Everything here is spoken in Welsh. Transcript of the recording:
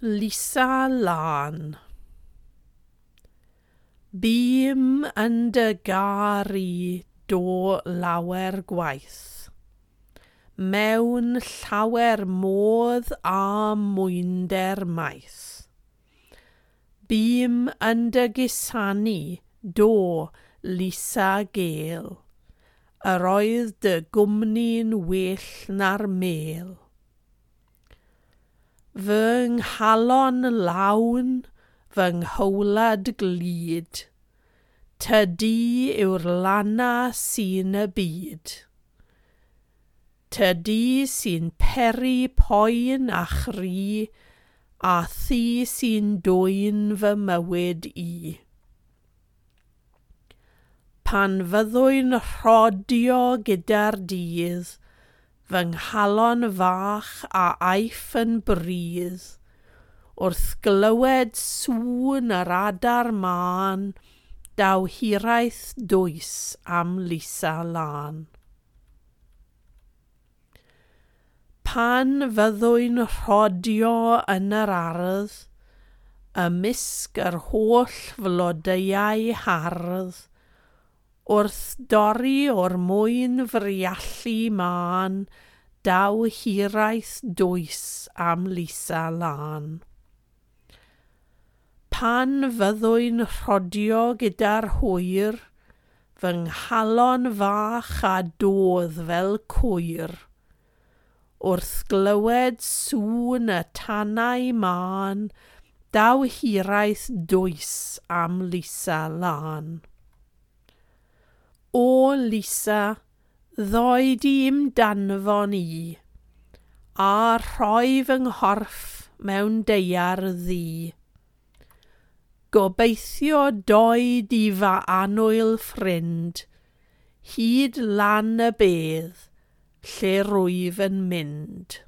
Lisa Lân. Bûm yn dy garu do lawer gwaith, mewn llawer modd a mwynder maith. Bûm yn dy gusanu do, Lisa gêl, yr oedd dy gwmni'n well na'r mêl. Fy nghalon lawn, fy nghowlad glud, tydi yw'r lana sy'n y byd. Tydi sy'n peri poen a chri, a thi sy'n dwyn fy mywyd i. Pan fyddwy'n rhodio gyda'r dydd, fy nghalon fach a aiff yn brudd, wrth glywed sŵn yr adar mân, daw hiraeth dwys am Lisa Lân. Pan fyddwy'n rhodio yn yr ardd, ymysg yr holl flodeuau hardd, wrth dorri o'r mwyn friallu mân, daw hiraeth dwys am Lisa Lân. Pan fyddwy'n rhodio gyda'r hwyr, fy nghalon fach a dodd fel cwyr. Wrth glywed sŵn y tanau mân, daw hiraeth dwys am Lisa Lân. O Lisa, ddoi di i'm danfon i, a rhoi fy nghorff mewn daear ddu. Gobeithio doi di fy annwyl ffrind, hyd lan y bedd, lle rwyf yn mynd.